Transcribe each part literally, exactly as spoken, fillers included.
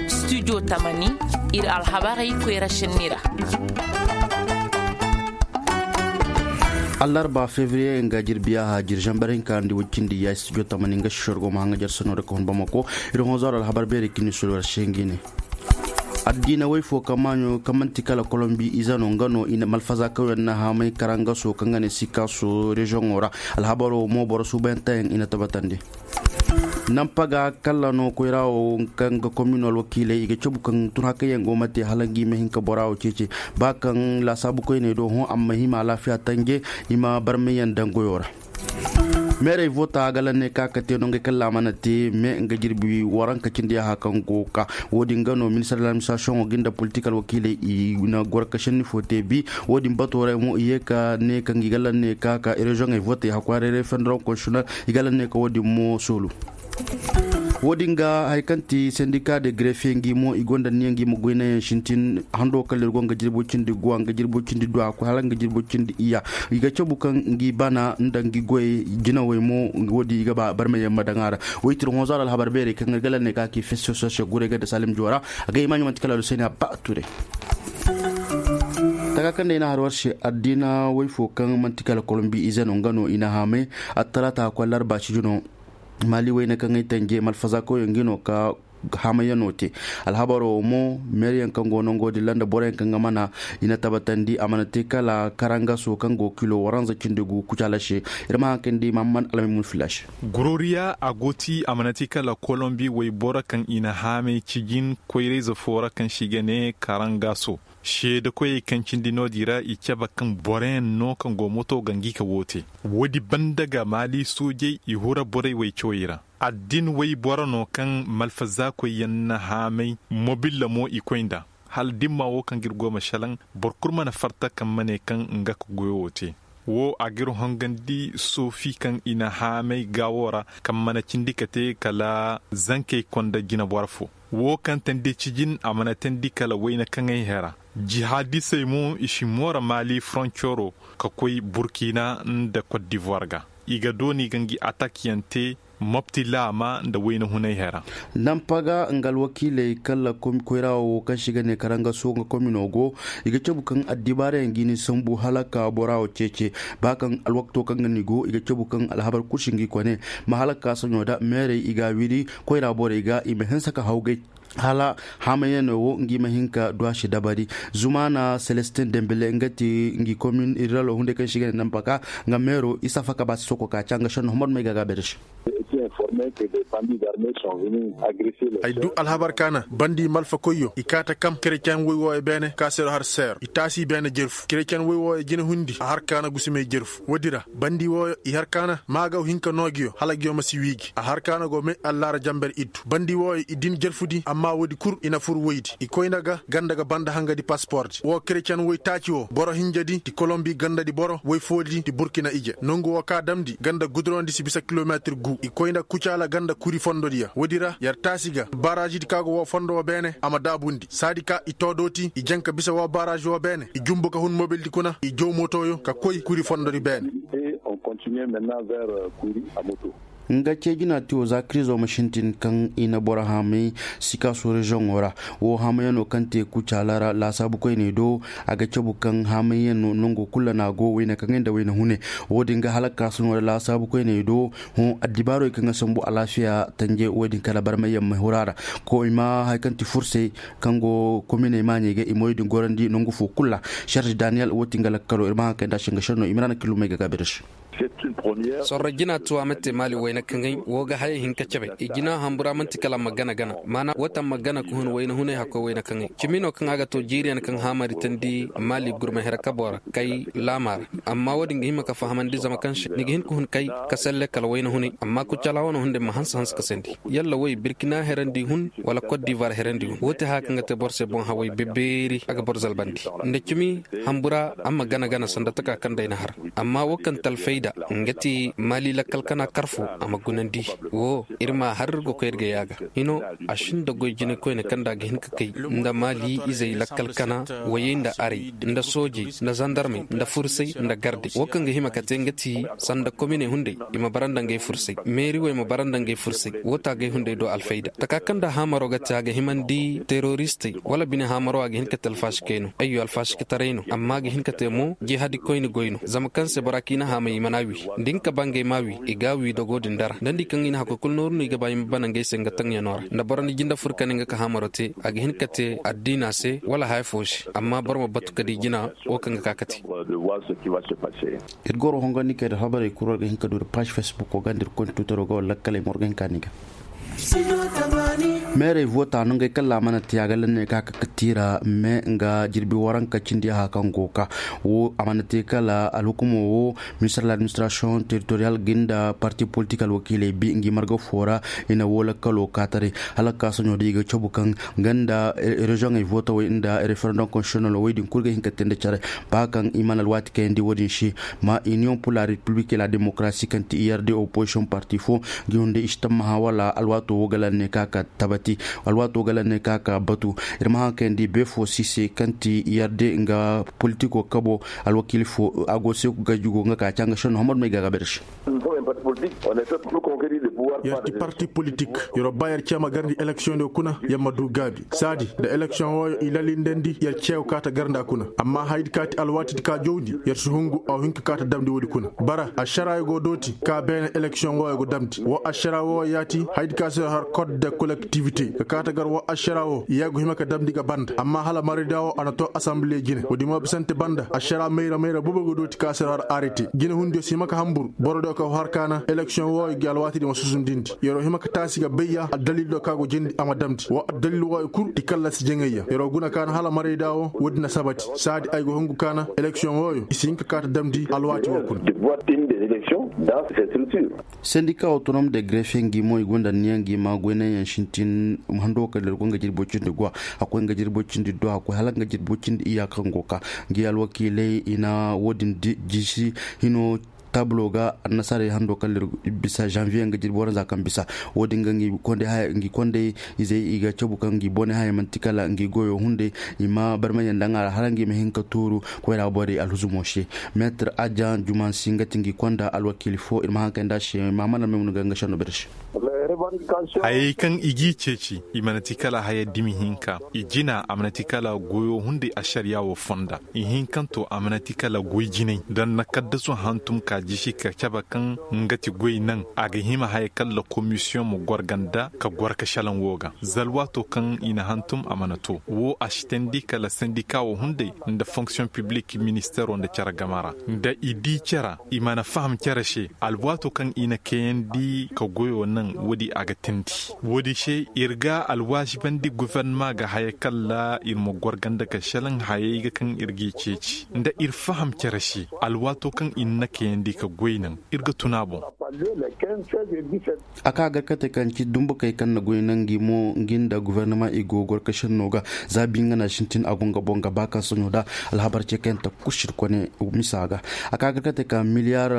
Studio tamani, ir alhabarey koyra šenni ra. Allarba fevriye nga jirbiya haajir zambar hinka ndi wujjindi ya studio tamani nga sisor go ma haŋa jar sano da ka hun bamako. Ir honzaro alhabar beeri kini sulu ra sengi ne. Addiina way fo kaŋ maaɲo kaŋ man'ti kala kolombi ize no nga no i na malfaza kaŋ yaŋ na haamay karangaso kaŋ ga ne sikaaso reziyoŋo ra. Alhabaro mo boro suubayantayaŋ i na tabatandi. Nampaga kalla no koyra wo kaŋ ga komino alwakiiley i ga cabu kaŋ tun hakayyaŋ go ma te hala ngi ma hin ka bora wo ceece. Ba kaŋ laasaabu koyney do hõ amma hima alaafiya tanje i ma barmayyaŋ daŋ goyo ra. Meerey voota ga lanne ka ka te no ngey kalla a mana te me nga jirbi waranka cindi yaha kaŋ go ka. Wo- din ga no ministar de ladministirasiyoŋo ga nda politik alwakiiley i na goro ka senni fo te bi. Wo- din bato ra mo i ye ka ne ka ngi ga lanne ka ka reziyoŋey vootey hakkoy haray refendorom konsitinel i ga lanne ka wo- din mo soolu. Wo- din ga hari kaŋ ti sendika de garefe ngi mo i gonda niya ngi ma goynayaŋ sintin hando kala ir go nga jirbo cindi guwa nga jirbo cindi duwa koy hala nga jirbo cindi iya. I ga cabu kaŋ ngi bana nda ngi goy jinawey mo. Wo- din i ga ba barmayaŋ ma daŋ a ra. Woytir honzaro alhabar beerey kaŋ ir ga lanne ka ki festival social guray ga da salim joora. A ga i maaɲo man'ti kala aluseni a ba ture. Taka kaŋ da i na har war se addiina way fo kaŋ man'ti kala kolombi ize no nga no i na haamay. Attalaata hakkoy larba sijino. Maali wayne kaŋ ay tanje malfaza koyyaŋ ngi no ka haamayaŋo te. Alhabaro mo meeriyaŋ kaŋ go nango din ra nda boroyaŋ kaŋ ga mana i na tabatandi a mana te kala karangaso kaŋ go kilo waranza cindi gu kucaala se. Ir ma haŋ kaŋ di mahamman almaymun fila se. Gororiya a go ti a mana te kala kolombi wayboro kaŋ i na haamay cijin koyrayze fo ra kaŋ se i ga ne karangaso. Seedekoyey kaŋ cindi no- din ra i cabe kaŋ boroyaŋ no kaŋ go moto ga ngi ka woo te. Woodi banda ga maali soojey i hura borey way cawey ra. Addin wayboro no kaŋ malfazaakoyyaŋ na haamay mobilla mo i koy nda. Hala dimma wo kaŋ ga ir go ma šelaŋ boro kul mana farta kaŋ ma ne kaŋ nga ka goyo wo te. Wo a ga ir hongandi soofi kaŋ i na haamay gaawo ra kaŋ mana cindi ka te kala zankey konda jinaboro fo. Wo kaŋ tandi cijin a mana tandi kala wayna kaŋay hera. Jihaadisey mo i si moora maali foroncoro ka koy burkina nda kot divuwar ga. I ga dooni ga ngi atakyaŋ te mopti laama nda wayna hunay hera. Nampaga nga alwakiiley kala koyra wo kaŋ se i ga ne karangaso nga komino go. I ga cabu kaŋ addibaarayaŋ ga i ni sambu hala ka bora wo ceece. Ba kaŋ alwakto kaŋ ga ni go i ga cabu kaŋ alhabar kul si ngi kone. Ma hala ka saɲo da meerey i ga a wiri koyra borey ga i ma hinsa ka hawgay. Hala haamayaŋo wo ngi ma hin ka du a si dabari. Zumaana selestin dembele nga ti ngi komin irralo hunday kaŋ si ga ne nampaka. Nga meero isa faka ba si soko ka ca nga šenno homor may ga gaabay da se. Ay du alhabar kaana bandi malfa koyyo i kaata kam kereceŋ woy wooyo beene ka seero har seero i taasi beene jerfu kereceŋ woy wooyo jina hundi a har kaana gusumey jerfu woodi ra. Bandi wooyo i har kaana maa ga hin ka noo ngiyo hala ngiyo ma si wii ngi a har kaana go may allaara jamber iddu bandi wooyo i din jerfudi amma woodi kul i na fur woydi i koy nda ga ganda ga banda hangadi pasipordi woo kereceŋ woy taaci woo boro hinjadi ti kolombi gandadi boro woy foodi ti burkina ije nongu woo ka damndi ganda gudurandi si bisa kilometir guu i koy nda kucaala ganda kuri fondodiyo woodi ra yer taasi ga baraazidi ka go woo fondo woo beene a ma daabundi saadi ka i too dooti i jaŋ ka bisa woo baraazi woo beene i jumbu ka hun mobildi kuna i jow motoyo ka koy kuri fondodi beene. Nga cee jina tiyo za kirizo ma sintin kaŋ i na boro haamay sikaaso reziyoŋo ra. Woo haamayaŋo kaŋ te kucaala ra laasaabu koyney do a ga cabu kaŋ haamayaŋo nango kul ra no a go wayna kaŋay nda wayna hune. Woo din ga hala kaasuno ra laasaabu koyney do hõ addibaarey kaŋ ga sambu alaafiya tanje woo din kala barmayyaŋ ma huru a ra. Ko i ma hari kaŋ ti fursey kaŋ go kominey maaɲey ga i ma woo din gorandi nangu foo kul ra. Serge daniyel woo ti nga lakkalo ir ma haŋ kay nda a se nga senno i ma ra na killumey ga gaabi ra se. Sorro jina tuwa ma te maali wayna kaŋay woo ga hayey hin ka cabe i jina hambura man'ti kala a ma gana gana maana woo taŋ ma gana ka hun wayna hunay hakkoy wayna kaŋay cimi no kaŋ a ga too jiiriyaŋ kaŋ haamaritaŋ di maali gurma here kaboo ra kay laama ra. Amma woo din ga hima ka fahamandi zama kaŋ se ni ga hin ka hun kay ka selle kala wayna hunay amma kucala wane hunday ma hanse hanse ka sandi yalla woy birkina herandi hun wala kot divuwar herandi hun woo ti haya kaŋ ga te boro se boŋ haway bebeeri a ga boro zalbandi nda cimi hambura a ma gana gana sanda taka kaŋ day na har. Amma woo kaŋ talfayda Nga ti maali lakkal kana kar fo a ma gunandi. Wo ir ma har ir ga koy ir ga yaaga hino. A sinda goy jine koyne kaŋ nda a ga hin ka kay nda maali izey lakkal kana, wayey nda aray, nda soojey, nda zandarmey, nda fursay, nda garde wo kaŋ ga hima ka te nga ti sanda kominey hunday. I ma bara nda ngey fursay, meeri wo i ma bara nda ngey fursay wo taagay hunday do alfayda taka kaŋ nda haamaro ga te a ga himandi teroristey wala bine haamaro a ga hin ka te alfaasi kay no ayyo alfaasi ka taray no amma a ga hin ka te mo jihadi koyne goy no zama kaŋ se bora kiina haamay i mana wi. Da hin ka ba ngey ma wi i ga wi dogo din dara da ni di kaŋ i na hakkoy kulu nooru no i ga ba i ma bana ngey se nga taŋyano ra nda boro ni jinde fur ka ne nga ka haamaro te. A ga hin ka te addiina se wala haya fo se amma boro ma batu ka di jina wo kaŋ ga ka kate. Ir goro hongandi kay da habarey kul war ga hin ka du ir paazi facebook wo ga nda ir koy nda tuutaro ga wala lakkaley ma war ga hin ka ni ga. Meerey voota no ngey kala a mana te a ga lanne ka ka tiira me nga jirbi waranka cindi aha kaŋ go ka wo a mana te kala alhukumo wo minister de l'administration territorial ga nda parti politik alwakiiley bi ngi marga fo ra. I na wo lakkalo kaataray hala ka soɲo da i ga cabu kaŋ nga nda reziyoŋey vootawey nda referendum konstisyonel wey din kulu ga hin ka te nda care. Ba kaŋ i mana alwaati kayandi wo-din se ma iniyoŋ pula republik la demokarasi kaŋ ti i yarde opozisiyoŋ parti fo ngi hunday i si tammaha wala alwaato wo ga lanne ka ka tabati. Alwaato ga lanne ka ka batu. Ir ma haŋ kayandi be fo si se kaŋ ti yarde nga politiko kabo alwakiili fo a go se ga jugo nga ka canga senno hammad may ga ga berse. Yar ti parti politik. Yar ba yar cema garndi eleksiyoŋ diyo kuna yar ma du gaabi saadi nda eleksiyoŋ wooyo i lalindandi yar ceew kaata garnda kuna. Amma haydi kaati alwaatidi ka jawndi yar si hungu a wa hin ka kaata damndi woodi kuna. Bara ašaraayo go dooti ka beene eleksiyoŋ wooyo go damndi wo ašaraa wooyo yaati haydi ka se har kod de kolektivite ka kaata gar wo ašaraa woo ya go hima ka damndi ga banda amma hala marayda woo a na too asanbile jine woodi mo bisante banda ašaraa mayra mayra bobo go dooti ka se har arete jine hundiyo si hima ka hanbur boro diyo ka har kaana eleksiyoŋ wooyo gi alwaatidi ma susundindi yar wo hima ka taasi ga bayya addalil diyo ka go jindi a ma damndi wo addalil wooyo kul ti kallasi jaŋayya yar wo guna kaana hala marayda woo woodi na sabati saadi ay go hungu kaana eleksiyoŋ wooyo i si hin ka kaata damndi alwaati woo kuna. Sendika autonom de grefe ngi mo i gonda niyaŋ ngi ma goynaŋ yaŋ sintin hando kala ir go nga jirbo cindi go a koy nga jirbo cindi do a koy hala nga jirbo cindi iya kaŋ go ka ngi alwakiilay i na wo- din jisi hino tabulo ga annasaarey hando kala ir bisa zanviye nga jirbo ranza kaŋ bisa wo- din ga ngi kondey izey i ga cabu kaŋ ngi bone haya manti kala ngi goyo hunday i ma barmay yaŋ daŋ a ra hala ngi ma hin ka tuuru koyra borey alhuzumo se. Meetir ajan jumansi nga ti ngi konda alwakiili fo ir ma haŋ kay nda se ma mana me mun ga nga senno bere se. Hayey kaŋ i g'i ceeci i mana ti kala haya dimi hinka i jina a mana ti kala goyo hunday ašariya wo fonda. Ihinkanto a mana ti kala goy jinay nda na kaddasu hantum ka jisi ka cabe kaŋ nga ti goy naŋ a ga hima haya kala komisiyoŋ ma gorga nda ka gor ka šelaŋ wo ga za alwaato kaŋ i na hantum a mana to wo a si teendi kala sendika wo hunday nda fonksiyoŋ piblik ministeero nda cere game ra nda i di cere i mana faham cere se alwaato kaŋ i na kayandi ka goyo naŋ woodi a ga teendi. Woodi se ir ga alwaazibandi gofornama ga haya kala ir ma gorga nda ka šelaŋ hayey ga kaŋ ir g'i ceeci nda ir faham cere se alwaato kaŋ ir na kayandi ka goy naŋ ir ga tun a boŋ. A ka gar kate kaŋ ci dumbukey kaŋ na goy naŋ ngi mo ngi nda gofornama i go gorkašenno ga za bi nga na sintin a go nga boŋ ga ba kaŋ soɲo da alhabar ce kaŋ ta kusir kone misa ga. A ka gar kate kaŋ miliyar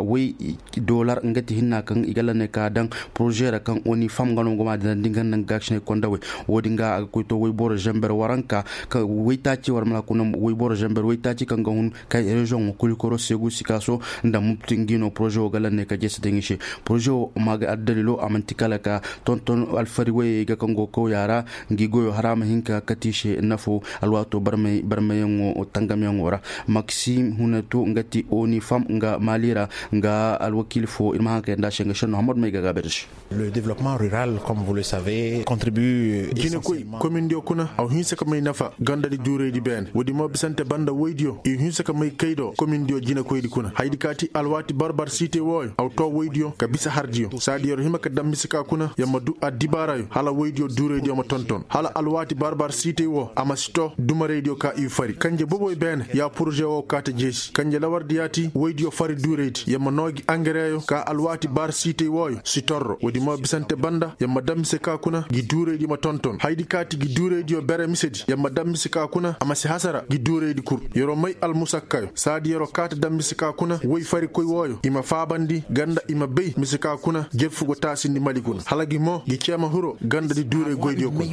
way dolar nga ti hinna kaŋ i ga lane ka daŋ poroze ra kaŋ oni fam nga no nga ma dina dinga naŋ ga sinay kondawey. Wo- din ga a ga koy to wayboro zamber waranka waytaaci war mana kuna wayboro zamber waytaaci kaŋ ga hun kay reziyoŋ wo kuli koro segu sikaso nda mubti ngi no poroze wo ga lanney ka jeese daŋ i se. Poroze wo ma ga addalilo a manti kala ka tonton alfari wayey ga kaŋ go kawya ra ngi goyo hara ma hin ka kati i se nafo alwaato barmayaŋo tangamyaŋo ra. Maksim huneto nga ti oni fam nga mali ra nga alwakiili fo ir ma haŋ kay nda a se nga senno hammad may ga gaabay da se. Le développement rural comme vous le savez contribue jinakoy komindiyo kuna a wa hinsa ka may nafa gandadi juuraydi beene woodi mo bisante banda woydiyo i wa hinsa ka may kay do komindiyo jinakoydi kuna haydi kaati alwaati barbar siite wooyo a wa to. Woydiyo ka bisa hardiyo saadi yer hima ka daŋ mise ka kuna yer ma du addibaarayo hala woydiyo duuraydiyo ma tonton hala alwaati bar-bar siitay wo a ma si to dumaraydiyo ka i fari kanje boboy beene ya poroze wo kaa ta jeesi kanje lawardi yaati woydiyo fari duuraydi yer ma noo gi angareyo ka alwaati bar siitay wooyo si torro woodi mo bisante banda yer ma daŋ mise ka kuna gi duuraydi ma tonton hayadi kaati gi duuraydiyo bere misedi yer ma daŋ mise ka kuna a ma si hasara gi duuraydi kul yer'o may almusakkayo saadi yer'o kaa ta daŋ mise ka kuna woy farikoy wooyo i ma faabandi ganda i ma bay mise ka kuna jerfu go taasindi mali kuna hala gi mo gi cee ma hiro ganda di duuray goydiyo kuna.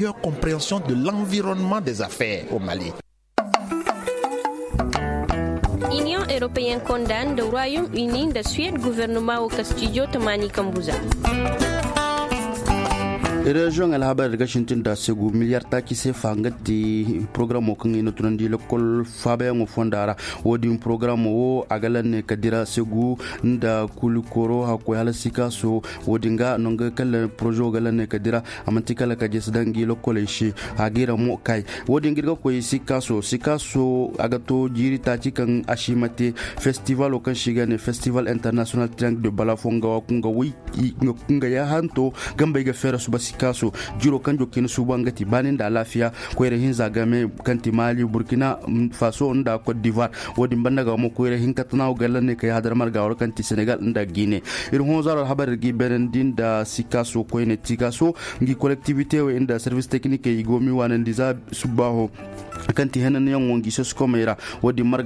Iniyoŋ europeyen konda nda royaume uni nda suwed gofornoma wo kastijo tamaani kambu za. Reziyoŋ alhabar ga sintin da segu miliyar taaci seefa nga ti porogaramo kaŋ i na tunandi lokol faabayaŋo fonda ra. Wo-din porogaramo wo a ga lanne ka dira segu nda kulikoro hakkoy hala sikaaso. Wo-din ga no nga kala porozo ga lanne ka dira a manti kala ka jesi daŋ gi lokoley se. A ga ira mo kay wo-din ga ir ga koy sikaaso sikaaso a ga to jiiri taaci kaŋ a si ma te. Festivalo kaŋ se i ga ne festival international triangle de balafo nga wa kunga way nga kunga ya hanto gambey ga feera suba sikaaso. Jiro kaŋ jokina suba nga ti baani nda alaafiya koyra hinza game kaŋ ti mali burkina faso nda cote d'ivoire. Wo-din banda ga mo koyra hinka tanawo galla ne kay hadar marga waro kaŋ ti senegal nda guinée. Ir honzaro alhabar ir ga i beenandi nda sikaaso koyne tikaaso ngi kolektivite wey nda service technique i go mi waanandi za subbaaho kaŋ ti henanyaŋo ngi soskomey ra. Wo-din marga